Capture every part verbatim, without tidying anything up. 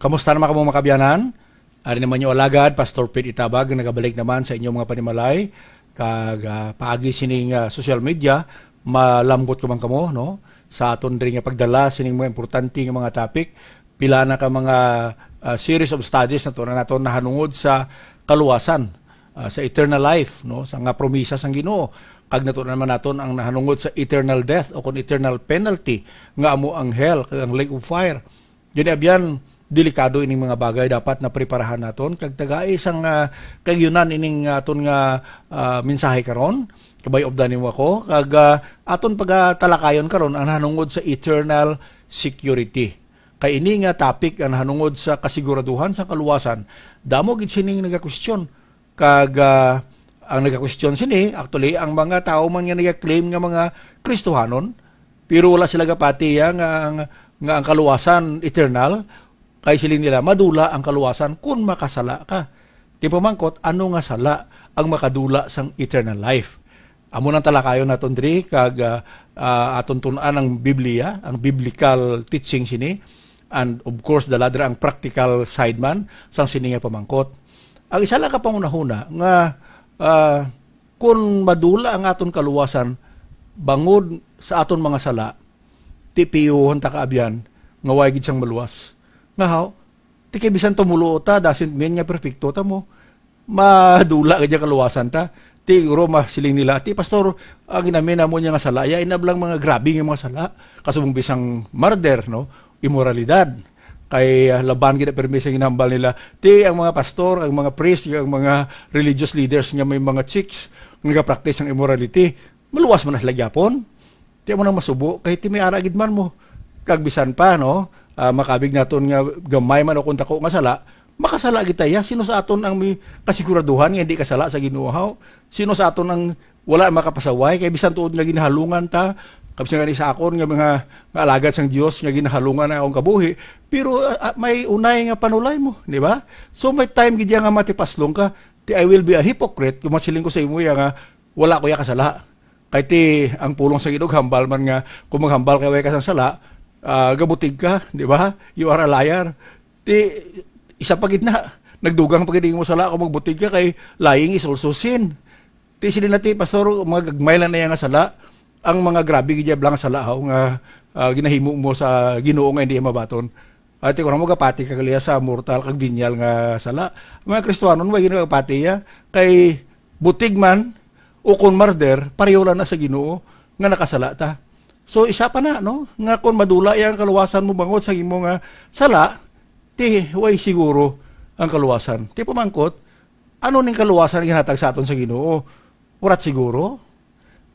Kamusta naman kamo, mga kabyanan? Ari naman yung alagad, Pastor Pete Itabag, nagabalik naman sa inyong mga panimalay. Kag, ah, paagi sining, ah, social media, malambot ka man kamo, no? Sa aton diri nga pagdala sining mga importante nga mga topic, pila na ka mga, ah, series of studies na to na naton nahanungod sa kaluwasan, ah, sa eternal life, no? Sa nga promisa sang Ginoo, kag nato naman naton ang nahanungod sa eternal death o kung eternal penalty nga amo ang hell kag ang lake of fire. Gani, abyan, delikado ining mga bagay, dapat na preparahan naton kag tagai sang, ah, kayunan ining aton nga, ah, mensahe karon. Kabay-obdan nimo ako kag, ah, aton pagatalakayon karon ang nahanungod sa eternal security. Kay ini nga topic ang nahanungod sa kasiguraduhan sa kaluwasan. Damo gid sining nagakwestiyon. Kag, ah, ang nagakwestiyon sini, actually, ang mga tawo man nga nagaklaim nga mga Kristohanon, pero wala sila gapati ya nga ang, nga ang kaluwasan eternal, kay siling nila, madula ang kaluwasan kun makasala ka. Di pamangkot, ano nga sala ang makadula sang eternal life? Amo nang talakayon naton diri, kag, ah, ah, aton tun-an ang Biblia, ang biblical teaching sini, and of course, dala dira ang practical side man sang sini nga pamangkot. Ang isa lang ka panghunahuna nga, ah, kun madula ang aton kaluwasan bangod sa aton mga sala, ti piyuhon ta kaabyan nga way gid sang maluwas. Nga haw, ti kay bisan tumulo ta, doesn't mean nga perfecto ta mo. Madula gid ang kaluwasan ta. Ti guro masiling nila, "Ti pastor, ang ginamin namo niya nga sala, ya inablang mga grabe nga mga sala. Kasubong bisang murder, no? Imoralidad." Kay, ah, laban gid ang permi sa ginahambal nila. Ti ang mga pastor, ang mga priest, ang mga religious leaders nga may mga chicks nga nagapractice ng immorality, maluwas man na sila gyapon. Ti amo nang masubo, kay ti may ara gid man mo. Kag bisan pa, no, ah, makabig naton nga gamay man o kung dako nga sala, makasala gid ta ya. Sino sa aton ang may kasiguraduhan nga hindi kasala sa Ginoo, haw? Sino sa aton ang wala makapasaway? Kay bisan tuod nga ginahalungan ta, kag bisan gani sa akon nga mga, nga alagad sang Dios nga ginahalungan ang akong kabuhi, pero, ah, ah, may unay nga panulay mo, di ba? So may time gid ya nga matipaslong ka, ti, "I will be a hypocrite kung masiling ko sa imo ya nga wala ko ya kasala." Kay ti, ang pulong sa Ginoo, hambal man nga, kung maghambal kay way ka sang sala, ah, gabutig ka, di ba? You are a liar. Ti, isa pa gid na, nagdugang pa gid mo sala kung magbutig ka, kay lying is also sin. Ti, sila na ti, pastor, mga gagmay lang na yan nga sala, ang mga grabe gid blang sala, haw, nga, ah, ginahimo mo sa Ginoo nga hindi mabaton. Ati ko na mo gapati ka kaliya sa mortal kag venial nga sala. Ang mga Kristiyanon, way ginagapati ya, kay butig man, o kon murder, pareho lang na sa Ginoo nga nakasala ta. So, isa pa na, no, nga kon madula yang kaluwasan mo bangod sa imo nga sala, ti way siguro ang kaluwasan. Ti pamangkot, ano ning kaluwasan nga ginhatag sa aton sa Ginoo? Warat siguro?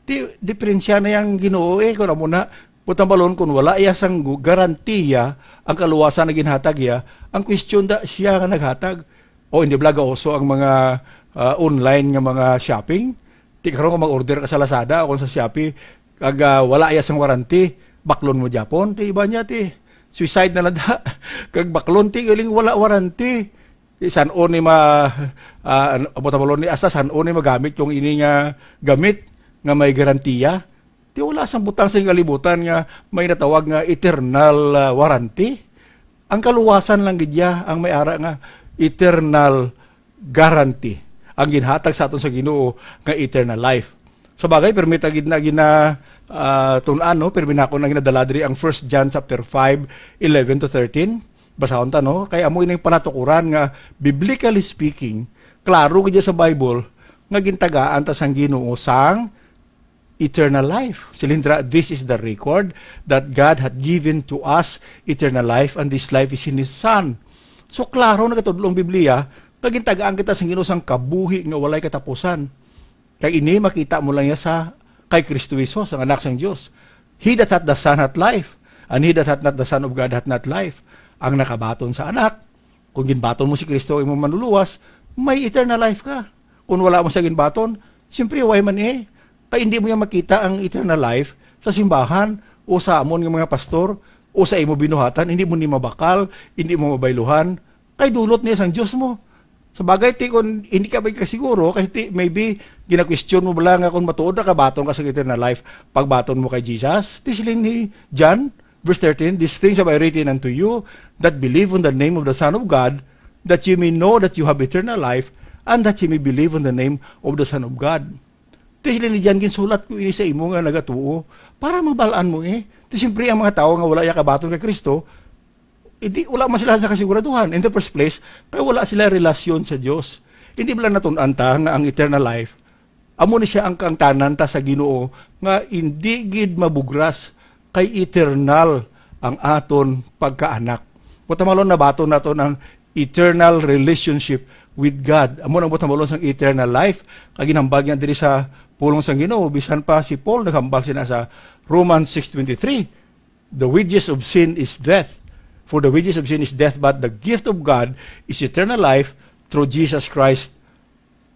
Ti, diferensya na yang Ginoo, eh, kun amo na, butambalon kun wala iya sang gu-, garantiya ang kaluwasan na ginhatag iya, ang question da siya nga naghatag. O hindi bala gauso ang mga, ah, online nga mga shopping? Ti karon kung mag-order ka sa Lazada o kung sa Shopee, kag, ah, wala iya sang warranty, baklon mo gyapon, ti iba niya, ti suicide na lang da. Kag baklon, ti galing wala warranty. Ti san-o ni ma-, ah, ano, amo ta balon ni, hasta san-o ni magamit yung ini nga gamit nga may garantiya. Ti wala sang butang sa kalibutan nga may natawag nga eternal, ah, warranty. Ang kaluwasan lang gid ya ang may ara nga eternal guarantee ang ginhatag sa aton sa Ginoo nga eternal life. Sa bagay, permi ta gid na gina, ah, tun-an, no? Permi nako na ginadala diri ang First John chapter five, eleven to thirteen. Basahon ta, no? Kay amo ining panatukuran nga, biblically speaking, klaro gid sa Bible nga gintagaan ta sang Ginoo sang eternal life. Siling dira, "This is the record, that God hath given to us eternal life, and this life is in His Son." So, klaro nagatudlo ang Biblia nga gintagaan kita sang Ginoo sang kabuhi nga walay katapusan. Kag ini makita mo lang niya sa kay Kristo Jesus, ang Anak sang Dios. "He that hath the Son hath life, and he that hath not the Son of God hath not life." Ang nakabaton sa Anak, kung ginbaton mo si Kristo, imong manluluwas, may eternal life ka. Kung wala mo siya ginbaton, siyempre, way man eh. Kay hindi mo yan makita ang eternal life sa simbahan o sa amon nga mga pastor o sa imo binuhatan. Hindi mo ni mabakal, hindi mo mabayluhan. Kay dulot niya sang Dios mo. Sa bagay, ti, kung hindi ka magkasiguro, kay ti, maybe, ginakwestiyon mo bala nga kung matuod na kabaton ka sa eternal life, pagbaton mo kay Jesus, ti siling ni John, Verse thirteen, "These things have I written unto you that believe on the name of the Son of God, that ye may know that you have eternal life, and that ye may believe on the name of the Son of God." Ti sila ni John, "Ginsulat ko ini sa imo nga nagatuo, para mabal-an mo eh." Ti siyempre, ang mga tawo nga wala ya kabaton kay Kristo, hindi, wala man sila sa kasiguraduhan. In the first place, kay wala sila relasyon sa Dios. Hindi ba lang natun-an ta nga ang eternal life, amo ni siya ang kaangtanan ta sa Ginoo, nga hindi gid mabugras, kay eternal ang aton pagkaanak. Buot silingon, nabaton naton ang eternal relationship with God. Amo nang buot silingon sang eternal life. Kag ginhambal niya diri sa pulong sang Ginoo, bisan pa si Paul naghambal sina sa Romans six twenty-three, "The wages of sin is death. For the wages of sin is death, but the gift of God is eternal life through Jesus Christ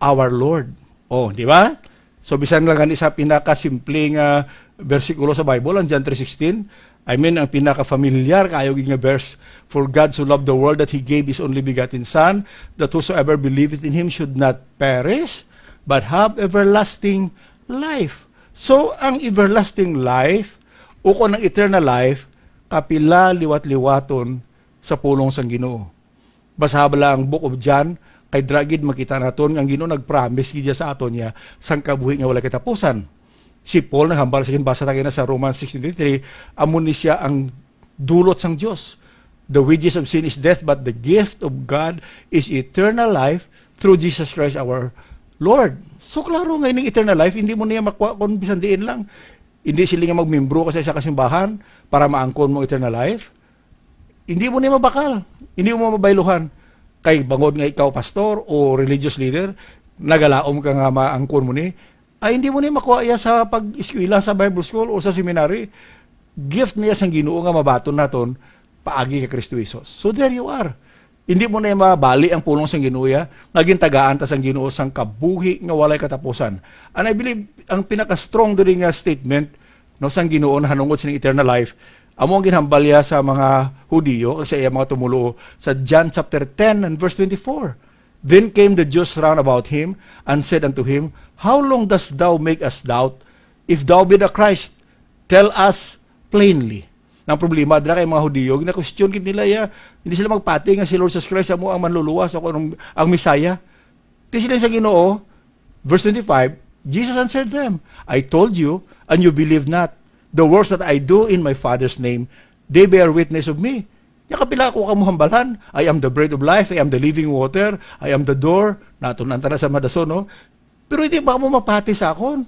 our Lord." Oh, di ba? So, bisan lang gani sa pinakasimple nga bersikulo sa Bible, ang John three sixteen, I mean, ang pinaka-familiar kayo gid nga verse, "For God so loved the world that He gave His only begotten Son, that whosoever believeth in Him should not perish, but have everlasting life." So, ang everlasting life, o kung ang eternal life, kapila liwat-liwaton sa pulong sang Ginoo. Basaha bala ang Book of John, kay dira gid makita naton nga ang Ginoo nag-promise gid sa aton niya sang kabuhi nga walay katapusan. Si Paul naghambal sa, basa ta kaina sa Romans six twenty-three, amo ni siya ang dulot sang Dios. "The wages of sin is death, but the gift of God is eternal life through Jesus Christ our Lord." So, klaro nga ining eternal life, hindi mo niya makuha kung bisan diin lang. Hindi sila nga magmembro ka sa isa ka simbahan para maangkon mo eternal life. Hindi mo niya mabakal. Hindi mo mabayluhan. Kay bangod nga ikaw pastor o religious leader, nagalaom ka nga maangkon mo ni, ay hindi mo niya makuha iya sa pag-eskwela sa Bible school o sa seminary. Gift niya sang Ginoo nga mabaton naton paagi kay Kristo Jesus. So there you are. Hindi mo na mabali ang pulong sang Ginoo ya, nga gintagaan ta sang Ginoo sang kabuhi nga walay katapusan. And I believe, ang pinaka-strong diri nga statement, no, sang Ginoo nahanungod sining eternal life, amo ang ginhambal niya sa mga Hudiyo kag sa iya mga tumoluo sa John chapter ten and verse twenty-four. Then came the Jews round about him and said unto him, "How long dost thou make us doubt? If thou be the Christ, tell us plainly." Ang problema dira kay mga Hudiyo, gina-question gid nila ya, hindi sila magpati nga si Lord Jesus Christ amo ang manluluwas o ang, ang Messiah. Ti siling sa Ginoo, verse twenty-five, Jesus answered them, "I told you, and you believe not. The works that I do in my Father's name, they bear witness of me." Nya kapila ako ka mo hambalan? "I am the bread of life, I am the living water, I am the door." Natun-an ta na sa madason, no? Pero hindi ba mo mapati sa akon?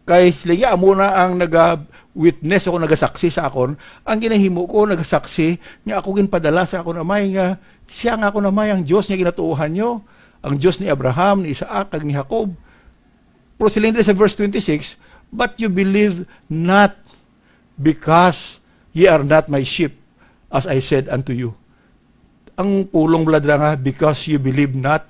Kay sila, amo na ang naga-witness ako, nagasaksi sa akon. Ang ginahimo ko, nagasaksi nga ako ginpadala sa akon Amay, nga siya nga akon Amay, ang Dios nga ginatuohan nyo, ang Dios ni Abraham, ni Isaac, kag ni Jacob. Pero siling diri sa verse twenty-six, "But you believe not, because ye are not my sheep, as I said unto you." Ang pulong bala dira nga, "Because you believe not,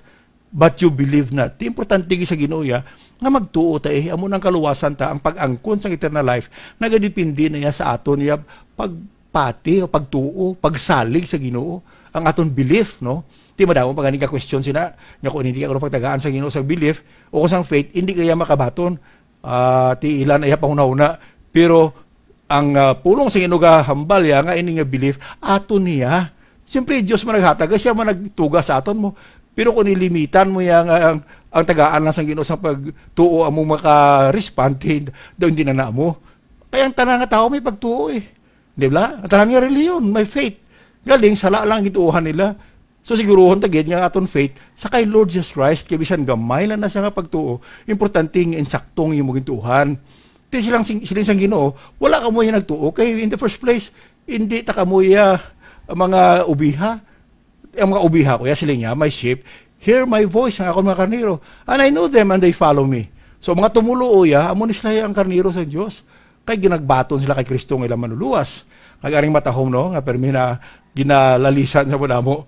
but you believe not." Ti importante gid sa Ginoo ya, nga magtuo ta, eh, amo nang kaluwasan ta, ang pag-angkon sang eternal life, nagadepende na ya sa aton ya pagpati o pagtuo, pagsalig sa Ginoo, ang aton belief, no? Ti madamo pa gani ka question sina, nga kung hindi ka kuno pagtagaan sa Ginoo sa belief o kung sang faith, hindi kaya makabaton. Ah, ti ilan iya panghunahuna. Pero ang, ah, pulong sa Ginoo gahambal ya nga ini nga belief ato niya. Siyempre, Dios man naghatag, siya man nagtuga sa aton mo. Pero kung nilimitan mo ya nga ang, ang tagaan lang sa Ginoo sa pagtuo amo maka-respond, daw hindi na namo. Kaya ang tanan nga tawo may pagtuo eh. Di ba? Ang tanan nga reliyon, may faith. Galing, sala lang ang gituohan nila. So, siguruhon ta gid nga aton faith sa kay Lord Jesus Christ, kay bisan gamay lang na siya nga pagtuo, importante nga insakto ang imo gintuohan. Ti silang sing-, siling sang Ginoo, wala kamo ya nagtuo, kay in the first place, hindi ta kamo ya mga obiha. Ang mga obiha ko ya, siling niya, "My sheep hear my voice," ang akon mga karnero. "And I know them, and they follow me." So, mga tumoluo ya, amo ni sila ang karnero sa Dios. Kay ginagbaton sila kay Kristo nga ilang manluluwas. Kag aring matahom, no, nga permi na ginalalisan sa madamo.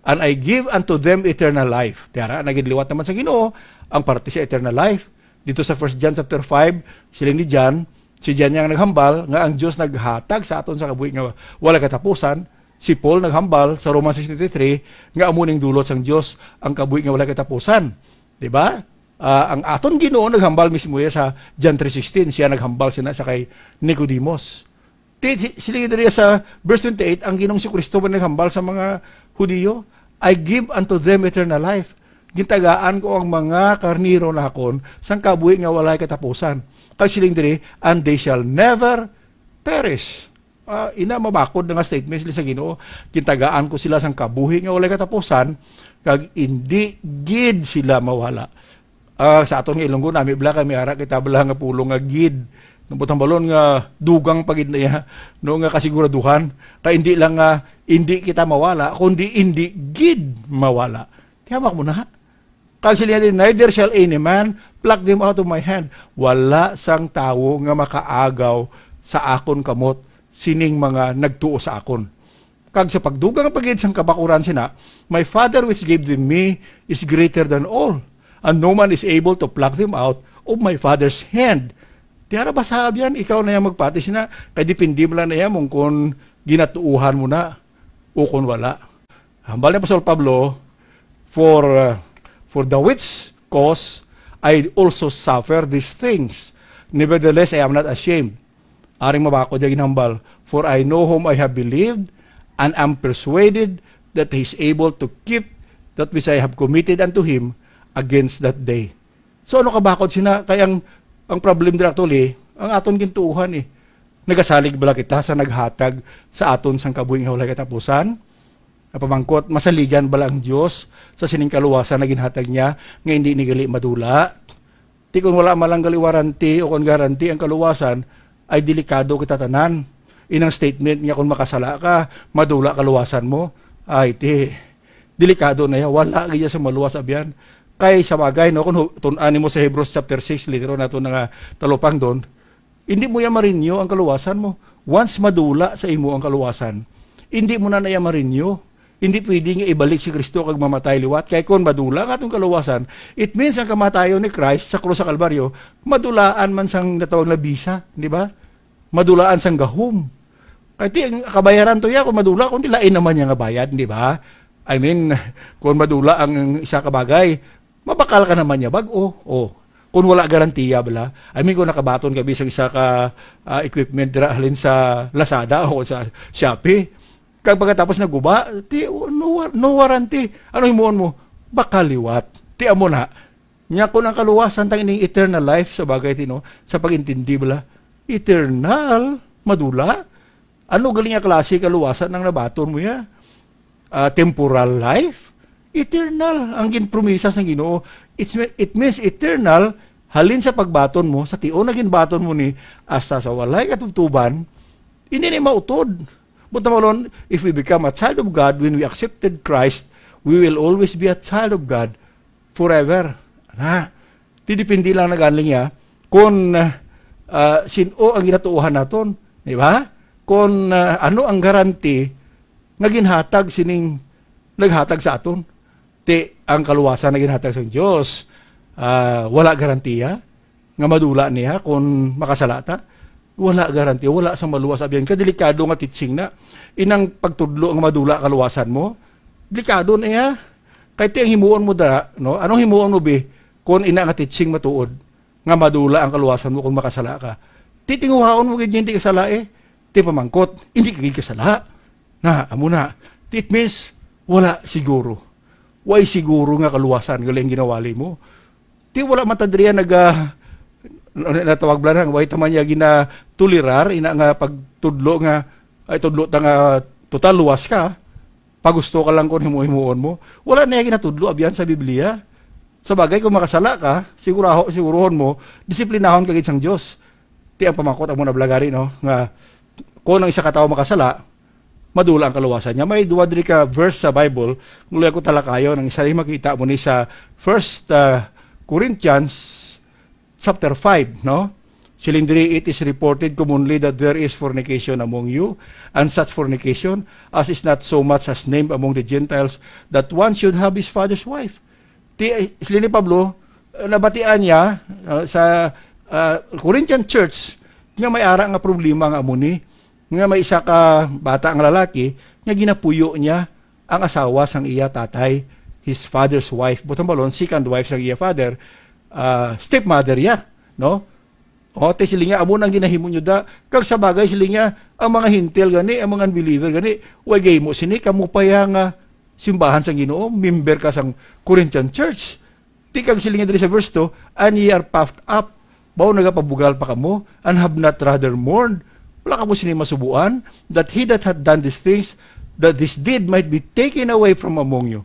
"And I give unto them eternal life." Tiara, nagidliwat naman sa Ginoo ang parte sa eternal life. Dito sa First John chapter five, siling ni John, si John yang naghambal nga ang Dios naghatag sa aton sa kabuhi nga wala katapusan. Si Paul naghambal sa Romans six twenty-three nga amo ning dulot sang Dios, ang kabuhi nga wala katapusan. Di ba? Ah, ang aton Ginoo naghambal mismo ya sa John three sixteen. Siya naghambal sina sa kay Nicodemus. Ti, si, sila diri sa verse twenty-eight, ang Ginoong si Kristo ba naghambal sa mga Hudiyo, "I give unto them eternal life." Gintagaan ko ang mga karnero nakon sang kabuhi nga walay katapusan. Kag siling diri, "And they shall never perish." Ah, ina, mabakod na nga statement sila sa Ginoo. "Gintagaan ko sila sang kabuhi nga walay katapusan, kag indi gid sila mawala." Ah, sa aton nga Ilonggo, nami bala kay may ara kita bala nga pulong nga gid. Nabutang balon nga dugang pa gid na iya, no, nga kasiguraduhan. Kay indi lang nga indi kita mawala, kundi indi gid mawala. Tiyamak mo na. Kag sila din, "Neither shall any man pluck them out of my hand." Wala sang tawo nga makaagaw sa akon kamot sining mga nagtuo sa akon. Kag sa pagdugang pa gid sang kabakuran sina, "My Father which gave them me is greater than all, and no man is able to pluck them out of my Father's hand." Tiara ba sa abyan, ikaw na yang magpati sina, kay depende mo lang na iya mong kung ginatuuhan mo na o kung wala. Hambal ni Apostol Pablo, "For, uh, for the which cause I also suffer these things. Nevertheless, I am not ashamed." Aring mabakod niya ginhambal, "For I know whom I have believed, and am persuaded that he is able to keep that which I have committed unto him against that day." So, ano kabakod sina? Kay ang, ang problem dira actually, ang aton gintuuhan eh. Nagasalig bala kita sa naghatag sa aton sang kabuhi nga walay katapusan? Napamangkot, masaligan bala ang Dios sa sining kaluwasan na ginhatag niya nga hindi ni gali madula? Ti kon wala man lang gali warranty o kon guarantee ang kaluwasan, ay delikado kita tanan. Inang statement nga kon makasala ka, madula kaluwasan mo, ay ti, delikado na ya. Wala gid sa maluwas abyan. Kay sa bagay, no, kung hu-, tun-an nimo sa Hebrews chapter six, later on nato na nga talupangdon, hindi mo ya marinyo ang kaluwasan mo. Once madula sa imo ang kaluwasan, hindi mo na na ya marinyo. Hindi pwede nga ibalik si Kristo kag mamatay liwat. Kay kon madula nga atong kaluwasan, it means ang kamatayon ni Christ sa krus sa Kalbaryo, madulaan man sang natawag na bisa, di ba? Madulaan sang gahom. Kay ti, ang kabayaran to ya, kung madula, kung di lain naman niya nga bayad, di ba? I mean, kung madula ang isa ka bagay, mabakal ka naman niya bag-o. Oh. Kung wala garantiya bala. I mean, kung nakabaton ka bisag isa ka, ah, equipment dira halin sa Lazada o sa Shopee, kag pagkatapos naguba, ti, no war-, no warranty. Ano himuon mo? Baka liwat. Ti amo na. Nya kung ang kaluwasan tang ining eternal life sa bagay tino, sa pag-intindi bala, eternal, madula. Ano galing nga klase kaluwasan ang nabaton mo ya? Ah, temporal life? Eternal ang ginpromisa sang Ginoo. It's, it means eternal, halin sa pagbaton mo, sa tion na ginbaton mo ni, hasta sa walay katubtuban, hindi ni mautod. But naman, if we become a child of God, when we accepted Christ, we will always be a child of God forever. Na, ti depende lang na gani niya kung, ah, sin-o ang ginatuohan naton, di ba? Kung, ah, ano ang garanti nga ginhatag sining naghatag sa aton. Ti ang kaluwasan na ginhatag sa Dios, ah, wala garantiya nga madula niya kung makasala ta. Wala garantiya, wala sa maluwas. Abyan ka, delikado nga teaching na. Inang pagtudlo nga madula kaluwasan mo, delikado na iya. Kay ti ang himuon mo da, no? Anong himuon mo, bi? Kung ina nga teaching matuod, nga madula ang kaluwasan mo kung makasala ka. Titinguhaon mo gid niya hindi kasala eh. Ti pamangkot, hindi ka gid kasala. Na, amo na. It means, wala siguro. Way siguro nga kaluwasan, gali ang ginawali mo. Ti wala man ta diri naga, ano, natawag bala na, way ta man niya ginatulirar, ina nga pagtudlo nga, ay, tudlo ta nga total luwas ka, pagusto ka lang kung himo-himuon mo. Wala na niya ginatudlo, abyan sa Biblia. Sa bagay, kung makasala ka, siguraho, siguruhon mo, disiplinahon ka gid sang Dios. Ti ang pamakot amo na bala gani, no, nga kung ang isa ka tawo makasala, madula ang kaluwasan niya. May duwa diri ka verse sa Bible, kung luya ko talakayon, ang isa ay makita mo ni sa First, uh, Corinthians chapter five, no? Siling diri, "It is reported commonly that there is fornication among you, and such fornication as is not so much as named among the Gentiles, that one should have his father's wife." Ti, eh, sila ni Pablo, eh, nabatian niya, ah, sa, ah, Corinthian church nga may ara nga problema nga amo ni, nga may isa ka bata nga lalaki nga ginapuyo niya ang asawa sang iya tatay, his father's wife. Butang balon, second wife sang iya father, ah, stepmother ya, no? O, ti sila nga, amo nang ginahimo nyo da. Kag sa bagay, sila nga, ang mga hintil gani, ang mga unbeliever gani, way gahimo sini, kamo pa ya nga simbahan sang Ginoo, member ka sang Corinthian church. Ti kag sila nga diri sa verse two, "And ye are puffed up." Bawo nagapabugal pa kamo, "and have not rather mourned." Wala kamo sini masubuan, "that he that hath done these things, that this deed might be taken away from among you."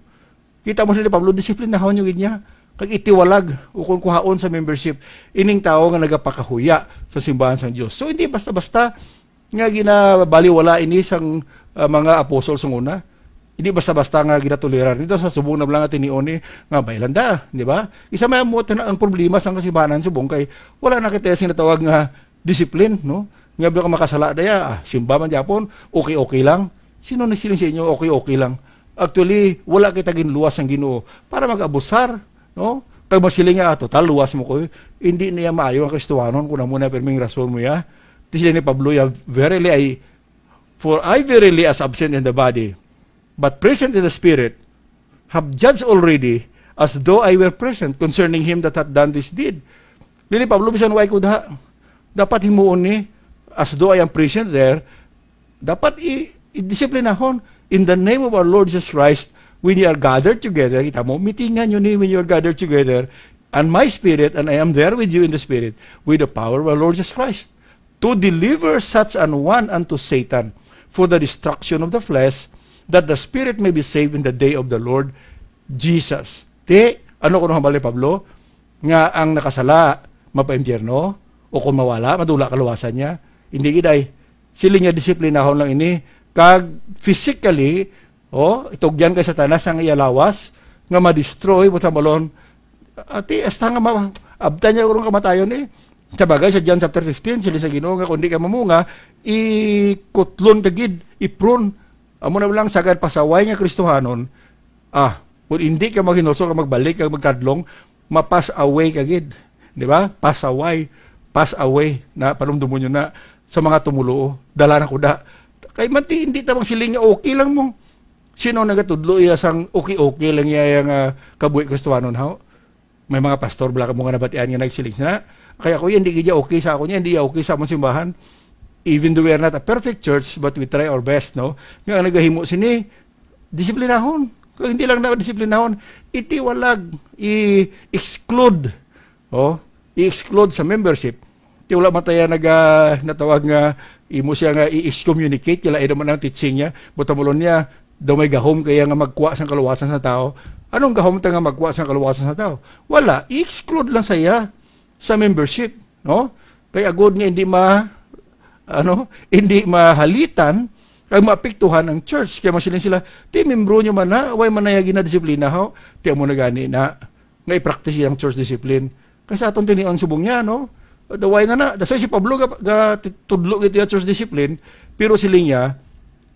Kita mo sila ni Pablo, disiplinahon nyo gid niya. Kag itiwalag, ukon kuhaon sa membership, ining tawo nga nagapakahuya sa simbahan sang Dios. So, hindi basta-basta nga ginabaliwala ini sang, ah, mga apostol sang una. Hindi basta-basta nga ginatolerar. Dito sa subong na lang nga tinion ni nga may landa, di ba? Isa may mo ang problema sang kasimbahan subong kay wala na kita sing natawag nga discipline, no? Nga ba ka makasala daya, ah, simba man gyapon, okay-okay lang. Sino nagsiling sa inyo, okay-okay lang? Actually, wala kita ginluwas sang Ginoo para mag-abusar, no? Kag masiling nga, "Ah, total, luwas mo ko." Hindi niya maayo ang Kristohanon kung amo na pirming rason mo ya. Ti sila ni Pablo ya, "Verily, I, for I verily as absent in the body, but present in the spirit, have judged already as though I were present concerning him that hath done this deed." Dili, Pablo, bisan way ko daha. Dapat himuon ni, "As though I am present there." Dapat i-, i-disiplinahon. "In the name of our Lord Jesus Christ, when you are gathered together," kita mo, mitingan nyo ni when you are gathered together, "and my spirit, and I am there with you in the spirit, with the power of our Lord Jesus Christ, to deliver such an one unto Satan for the destruction of the flesh, that the spirit may be saved in the day of the Lord Jesus." Ti, ano kuno hambal ni Pablo? Nga ang nakasala mapaimpyerno, o kung mawala, madula kaluwasan niya. Hindi gid ay. Sila niya disiplinahon lang ini. Kag physically, oh, itugyan kay Satanas ang iya lawas, nga ma-destroy, buta malon. Ati, hasta nga ma-, abtan niya urong kamatayon eh. Sa bagay, sa John chapter fifteen, sila sa Ginoo nga, "Kung di ka mamunga, ikutlon ka gid, ipron." Amo na lang sagad pasaway nga Kristohanon, ah, kung hindi ka maghinulsol ka, magbalik ka, magkadlong, ma-pass away ka gid. Di ba? Pass away. Pass away. Na, panumdumon nyo na sa mga tumuluo. Dala na kuda. Kay manti, hindi ta bang siling nga okay lang mo. Sino nagatudlo iya sang okay-okay lang iya nga kabuhi Kristohanon, haw? May mga pastor bala mo nga nabatian nga nagsiling sina, "Kaya ko yan, di gid ya okay sa ako niya, hindi ya okay sa among simbahan." Even though we are not a perfect church, but we try our best, no? Nga ang nagahimo sini, disiplinahon. Kung hindi lang na disiplinahon, itiwalag, i-exclude. Oh, i-exclude sa membership. Ti wala man tayo naga-, natawag nga imo siya nga i-excommunicate, kila ino man ang teaching niya. Butamulon niya, daw may gahom kaya nga magkuha sang kaluwasan sa tao. Anong gahom ta nga magkuha sang kaluwasan sa tao? Wala, i-exclude lang saya sa membership, no? Kay agod nga hindi ma-, ano, hindi mahalitan kag maapektuhan ang church. Kaya masiling sila, "Ti membro nyo man na, way man na ya ginadisiplina, ho?" Ti amo na gani na nga i-practice ang church discipline. Kay sa aton tinion subong niya, no? Daway na na. That's why si Pablo ga, ga tudlo gid ya church discipline, pero siling niya,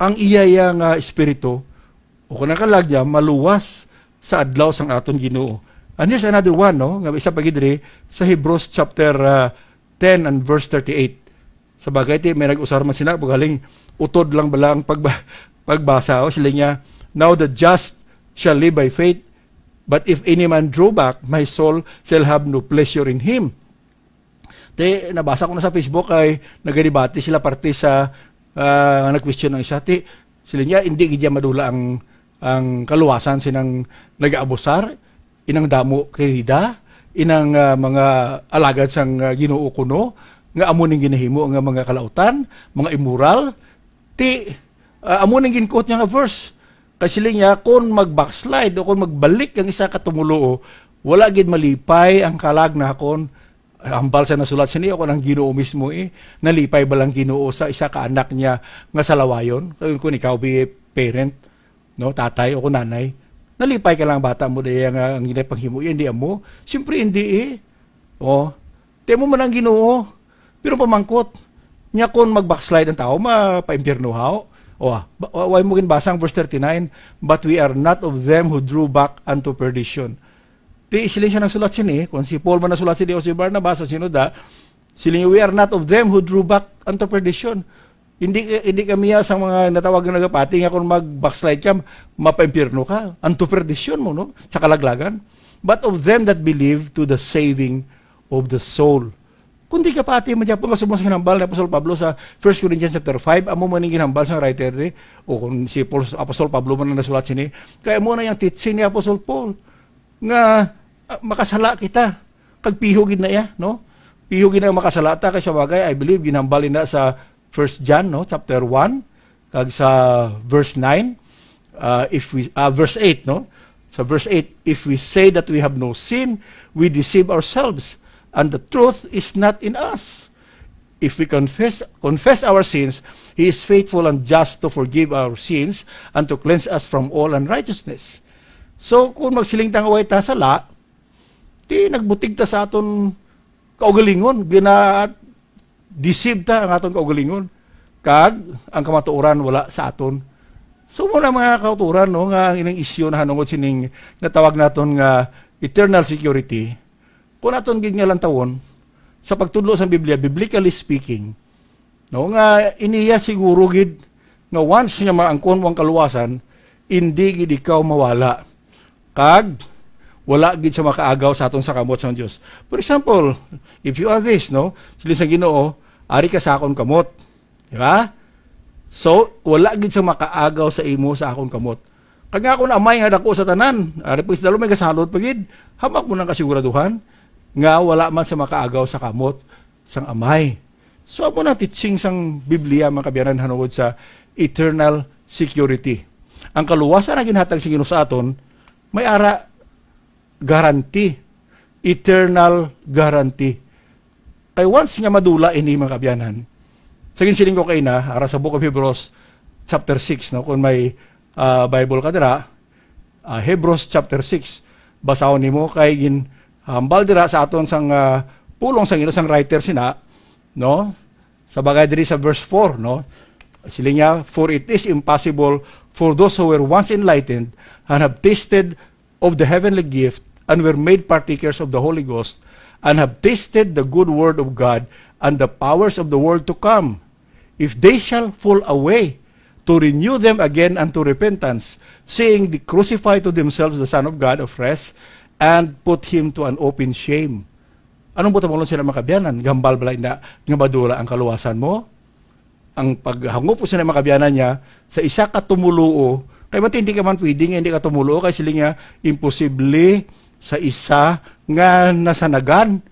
ang iya ya nga espiritu, o kung nakalag niya, maluwas sa adlaw sang aton Ginoo. And here's another one, no? Nga isa pa gid diri sa Hebrews chapter, ah, ten and verse thirty-eight. Sa bagay, ti, may nag-usar man sila, pagaling utod lang bala ang pagba-, pagbasa, o, sila niya, "Now the just shall live by faith, but if any man draw back, my soul shall have no pleasure in him." Ti, nabasa ko na sa Facebook ay nagadebate sila parte sa, ah, nag-question ang isa. Ti, sila niya, hindi gid niya madula ang, ang kaluwasan sinang nag-aabusar, inang damo kay Rida, inang, ah, mga alagad sang, ah, Ginoo kuno, nga amo ning ginahimo nga mga kalautan, mga immoral. Ti, ah, amo ning gin-quote niya nga verse. Kay siling niya, "Kon mag-backslide o kon magbalik ang isa ka tumuluo, wala gid malipay ang kalag nakon." Hambal sa nasulat sini, ako ang Ginoo mismo eh. Nalipay ba lang Ginoo sa isa ka anak niya nga salawayon? Kay kun ikaw be parent, no, tatay o kun nanay, nalipay ka lang bata mo daya nga ang ginay panghimo, hindi amo. Siyempre, hindi eh. Oh, ti amo man ang Ginoo. Pero pamangkot, niya kon mag-backslide ang tao, mapaimpyerno haw. O, ah, ba-, wa-, way mo ginbasa ang verse thirty-nine, "But we are not of them who drew back unto perdition." Ti, siling siya nagsulat sini, kung si Paul man nagsulat sini o si Barnabas o sino da, siling, "We are not of them who drew back unto perdition." Hindi, hindi kami ya sa mga natawag nga nagapati nga kung mag-backslide ka, mapaimpyerno ka. Unto perdition mo, no? Sa kalaglagan. "But of them that believe to the saving of the soul." Kundi kapati man gyapon nga subong sa ginhambal ni Apostol Pablo sa First Corinthians chapter five, amo man ang ginhambal sa writer ni, o kung si Paul, Apostol Pablo man ang nasulat sini, kay amo na yung teaching ni Apostol Paul nga, ah, makasala kita. Kag piho gid na iya, no? Piho gid na makasala ta, kay sa bagay, I believe, ginhambal na sa First John, no, chapter one, kag sa verse nine, uh, if we, uh, verse eight, no? Sa verse eight, "If we say that we have no sin, we deceive ourselves, and the truth is not in us. If we confess, confess our sins, He is faithful and just to forgive our sins and to cleanse us from all unrighteousness." So, kung magsiling ta nga way ta sala, di nagbutig ta sa aton kaugalingon, gina-deceive ta ang aton kaugalingon, kag ang kamatuoran wala sa aton. So, muna, mga kauturan, no, nga ang ining isyu nahanungod sining natawag naton nga eternal security, kung aton gid nga lantawon, sa pagtudlo sa Biblia, biblically speaking, no, nga iniya siguro gid nga once nga maangkon mo ang kaluwasan, indi gid ikaw mawala. Kag wala gid sa makaagaw sa aton sa kamot sang Dios. For example, if you are this, no, siling sa Ginoo, "Ari ka sa akon kamot." Di ba? So, wala gid sa makaagaw sa imo sa akon kamot. Kag nga akon Amay nga dako sa tanan, ari po isdalo may kasalot pa gid, hamak mo nang kasiguraduhan nga wala man sa makaagaw sa kamot sang Amay. So, amo na teaching sang Biblia, mga kaabyanan, hanungod sa eternal security. Ang kaluwasan na ginhatag sa Ginoo sa aton, may ara guarantee, eternal guarantee. Kay once nga madula ini, mga kaabyanan, sa ginsiling ko kay na, ara sa Book of Hebrews, chapter six, no? Kung may, ah, Bible ka dira, ah, Hebrews chapter six, basahon nimo kay ginhambal dira sa aton sang, ah, pulong sang Ginoo sang writer sina, no? Sa bagay diri sa verse four, no? Siling niya, "For it is impossible for those who were once enlightened and have tasted of the heavenly gift and were made partakers of the Holy Ghost and have tasted the good word of God and the powers of the world to come, if they shall fall away, to renew them again unto repentance, seeing they crucify to themselves the Son of God afresh and put him to an open shame." Anong buta mo sila, mga kaabyanan? Gambal bala na nga madula ang kaluwasan mo? Ang paghangop ko sa mga kaabyanan niya, sa isa ka tumuluo, kay matindi ka man pwede nga hindi ka tumuluo, kay sila nga imposible sa isa nga nasanagan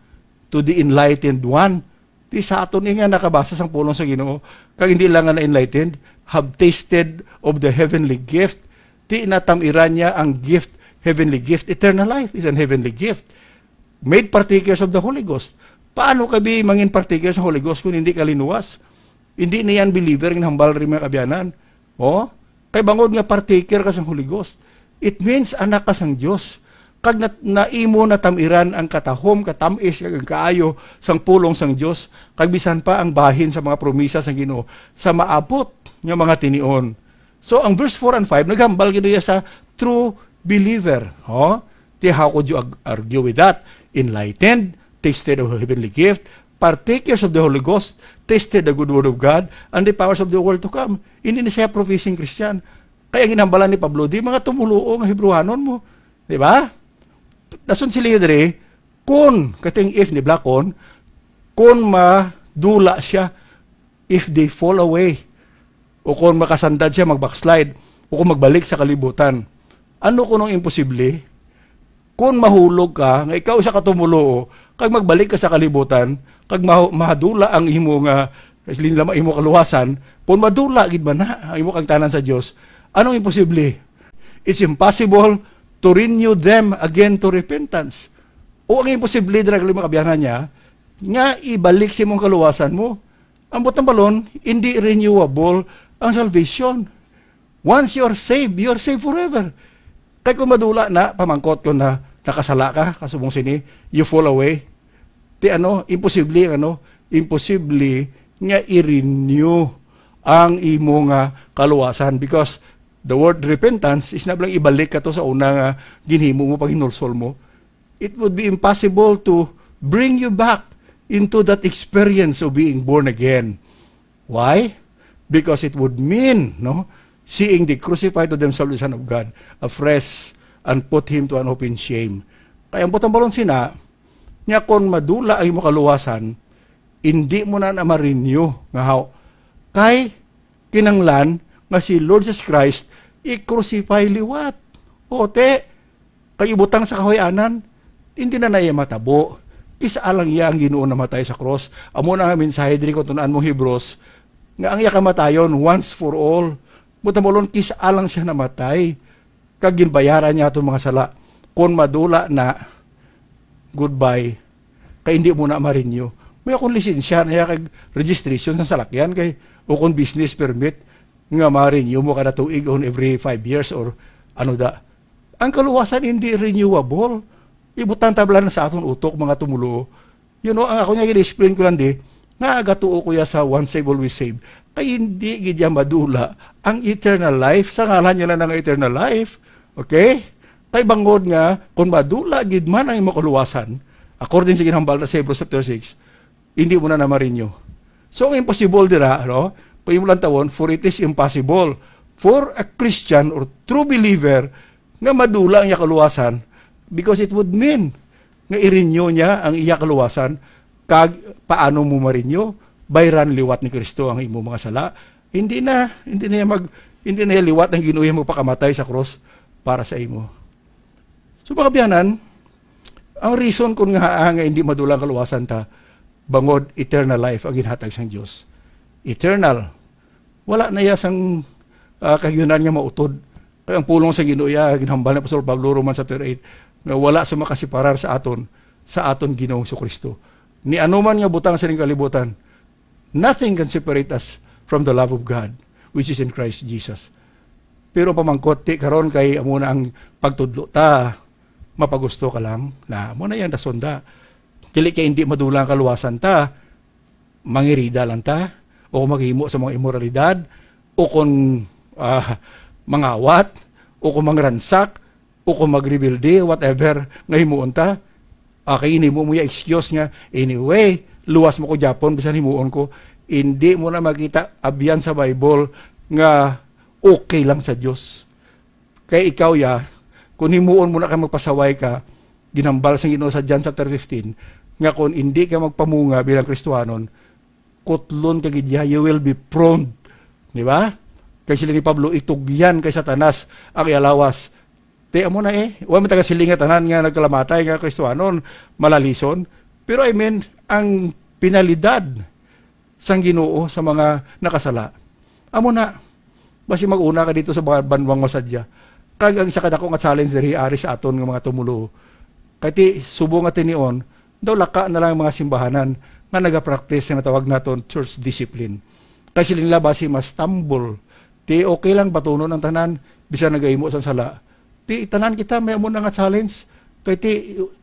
to the enlightened one. Di sa aton nga nakabasa sang pulong sa Ginoo, kag hindi lang nga na-enlightened, have tasted of the heavenly gift. Di natamiran niya ang gift, heavenly gift. Eternal life is an heavenly gift. Made partakers of the Holy Ghost. Paano ka bi mangin partakers sa Holy Ghost kung hindi ka linuwas? Hindi na yan believer ang hambal rin, mga kaabyanan. Oh? Kay bangod nga partaker ka sa Holy Ghost, it means anak ka sang Dios. Kag nat-, naimo natamiran ang katahom, katamis, kag ang kaayo sang pulong sang Dios, kag bisan pa ang bahin sa mga promisa sang Ginoo sa maabot nga mga tinion. So, ang verse four and five, naghambal gid iya sa true believer. Oh? Ti, how could you ag-, argue with that? Enlightened, tasted of heavenly gift, partakers of the Holy Ghost, tasted the good word of God, and the powers of the world to come. Hindi na siya professing Christian. Kaya ginhambalan ni Pablo, di mga tumuluo nga Hebrewanon mo. Di ba? Dason sila diri, kun, kating if ni Blakon, kun madula siya, if they fall away, o kung makasandad siya, mag-backslide, o kung magbalik sa kalibutan. Ano kuno ang imposible? Kung mahulog ka, nga ikaw isa ka tumuluo, kag magbalik ka sa kalibutan, kag mahu-, mahadula ang imo nga, linlama imo kaluwasan, kung madula gid man na ang imo kagtanan sa Dios, anong imposible? It's impossible to renew them again to repentance. O ang imposible, dira, mga kaabyanan niya, nga ibalik sa imong kaluwasan mo. Ang butang balon, hindi renewable ang salvation. Once you are saved, you are saved forever. Kay kung madula na, pamangkot ko na, nakasala ka, kasubong sini, you fall away. Ti ano, imposible ang ano, imposible nga i-renew ang imo nga kaluwasan, because the word repentance is na lang ibalik ka to sa una nga ginhimo mo, paghinulsol mo. It would be impossible to bring you back into that experience of being born again. Why? Because it would mean, no, seeing they crucify to themselves the Son of God afresh and put him to an open shame. Kaya ang butang balon sina, niya kung madula ang imo kaluwasan, Indi mo na na ma-renew nga haw. Kay kinanglan nga si Lord Jesus Christ i-crucify liwat. O, te, kay ibutang sa kahuy-anan, hindi na na iya matabo. Kis-a lang iya ang Ginoo namatay sa cross. Amo na nga mensahe diri kung tun-an mo Hebrews, nga ang iya kamatayon once for all. Buta mo lon, kis-a lang siya namatay. Kag ginbayaran niya aton mga sala. Kon madula na, goodbye. Kay hindi mo na ma-renew. May akong lisensya na iya kag registration sa salakyan kay o kon business permit nga ma-renew mo kada tuig on every five years or ano da. Ang kaluwasan hindi renewable. Ibutang tabla na sa aton utok, mga tumulo. You know, ang ako niya gina-explain ko lang di, nga agatuo ko ya sa once saved, always saved. Kay hindi gid ya madula ang eternal life. Sa ngalan niya lang ng eternal life. Okay? Kay bangod nga, kung madula gid man ang imong kaluwasan, according sa ginhambal na sa Hebrews chapter six, hindi mo na na-renew. So, ang imposible dira, no? Kung imo lang tawon, for it is impossible for a Christian or true believer nga madula ang iya kaluwasan, because it would mean nga i-renew niya ang iya kaluwasan. Kag paano mo ma-renew? Bayran liwat ni Kristo ang imo mga sala. Hindi na, hindi na iya mag, hindi na iya liwat ang Ginoo iya magpakamatay sa cross para sa imo. So, mga biyanan, ang reason kun nga, ah, nga hindi madula ang kaluwasan ta, bangod eternal life ang ginhatag sang Dios. Eternal. Wala na iya sang, ah, kahiunan nga mautod. Kay ang pulong sa Ginoo iya, ginhambal ni Apostol Pablo, Romans chapter eight, nga wala sa makasiparar sa aton, sa aton Ginoong Jesu-Cristo. Ni ano man nga butang sa ning kalibutan, nothing can separate us from the love of God, which is in Christ Jesus. Pero pamangkot, ti karon kay amo na ang pagtudlo ta, mapagusto ka lang, na amo na yan, dasonda. Dili kay hindi madula ang kaluwasan ta, mangirida lang ta, o kung maghimo sa mga imoralidad, o kung, ah, mangawat, o kung mangransak, o kung magrebelde, whatever nga himuon ta. Ah, kay ini mo mo ya excuse nga, "Anyway, luwas mo ko gyapon, bisan himuon ko." Hindi mo na makita abyan sa Bible nga okay lang sa Dios. Kay ikaw ya, kung himuon mo na kay magpasaway ka, ginhambal sang Ginoo sa John chapter fifteen, nga kung hindi ka magpamunga bilang Kristiyanon, kutlon ka gid ya, you will be prone. Di ba? Kay sila ni Pablo, itugyan kay Satanas ang iya lawas. Ti amo na eh, wa man taga siling nga tanan nga nagkalamatay nga Kristiyanon, malalison. Pero I mean, ang penalidad sang Ginoo sa mga nakasala. Amo na, basi mag-una ka dito sa mga banwang masadya. Kag ang isa ka dako nga challenge diri ari sa aton nga mga tumulo. Kay ti, subong nga tinion, daw laka na lang ang mga simbahanan nga nagapractice nga natawag naton church discipline. Kay sila nila basi mas tambol. Ti okay lang batunon ang tanan, bisan nagahimo sang sala. Ti tanan kita may amo na nga challenge. Kay ti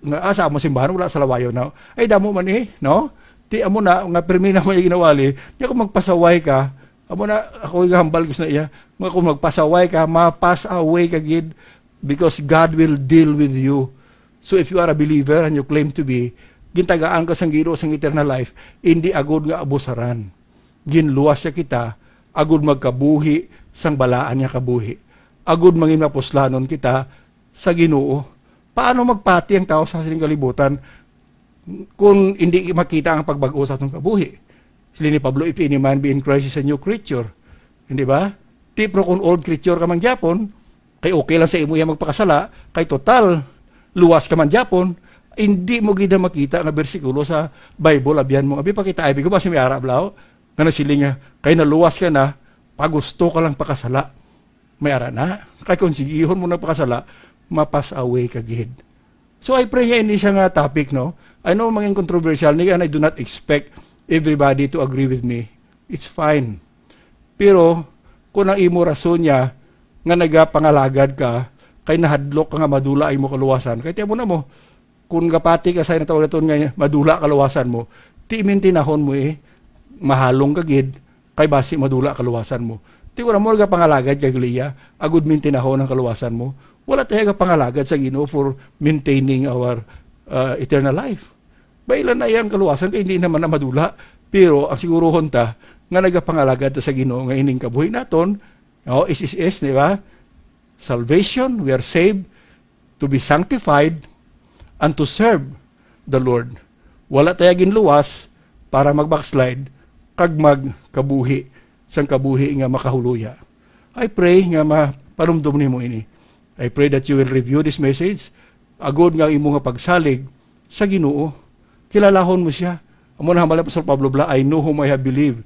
nga asa amo simbahan wala sa lawayo na. Ay damo man eh, no? Ti amo na nga permi na mo yung ginawali. Nya kung magpasaway ka, amo na ako gahambal ko sa iya. Nga kung magpasaway ka, ma-pass away ka gid because God will deal with you. So if you are a believer and you claim to be, gintagaan ka sang Ginoo sang eternal life, hindi agud nga abusaran. Ginluwas siya kita agud magkabuhi sang balaan nga kabuhi, agud mangin mapuslanon kita sa Ginoo. Paano magpati ang tawo sa sining kalibutan kung hindi makita ang pagbag-o sa atong kabuhi? Sili ni Pablo, "If any man be in Christ, is a new creature." Hindi ba? Ti, pero kung old creature ka man gyapon, kay okay lang sa imo iya magpakasala, kay total, luwas ka man gyapon, hindi mo gid na makita nga bersikulo sa Bible, abyan mo, abi pa kita, abi ko ba si may ara, blaw? Nga nasiling nga, kay naluwas ka na, pagusto ka lang pakasala. May ara na. Kay kung sigihon mo nagpakasala, mapas away ka gid. So I pray nga ini siya nga topic, no? I know mangin controversial ni, and I do not expect everybody to agree with me. It's fine. Pero kung ang imo rason niya nga nagapangalagad ka, kay nahadlok ka nga madula ang imo kaluwasan, kay tiyan mo na mo, kung gapati ka sa natawag naton nga madula kaluwasan mo, ti mintinahon mo eh, mahalong ka gid, kay basi madula kaluwasan mo. Ti wala mo nagapangalagad kay Gliya, agud mintinahon ang kaluwasan mo. Wala tayo gapangalagad sa Ginoo for maintaining our uh, eternal life. Bailan na iyang kaluwasan kay hindi naman na madula. Pero ang siguruhon ta nga nagapangalagad ta sa Ginoo nga ining kabuhi naton, no, S S S, di ba? Salvation, we are saved to be sanctified and to serve the Lord. Wala tayo ginluwas para mag-backslide kag magkabuhi sang kabuhi nga makahuluya. I pray nga mapanumdom nimo ini. I pray that you will review this message agod nga imo nga pagsalig sa Ginoo. Kilalahon mo siya. Amo na hambal ni Apostol Pablo bala, "I know whom I have believed,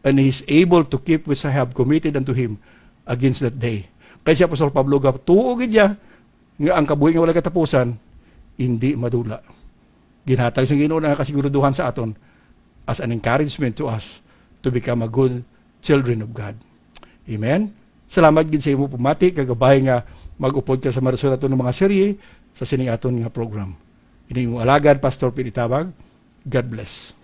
and he is able to keep which I have committed unto him against that day." Kay si Apostol Pablo gatuo gid niya nga ang kabuhi nga walay katapusan hindi madula. Ginhatag sang Ginoo ang kasiguraduhan sa aton as an encouragement to us to become a good children of God. Amen. Salamat gid sa imo pamati, kagabay nga mag-upod ka sa marason naton nga mga serye sa sining aton nga program. Ini imong alagad, Pastor Pete Tabag. God bless.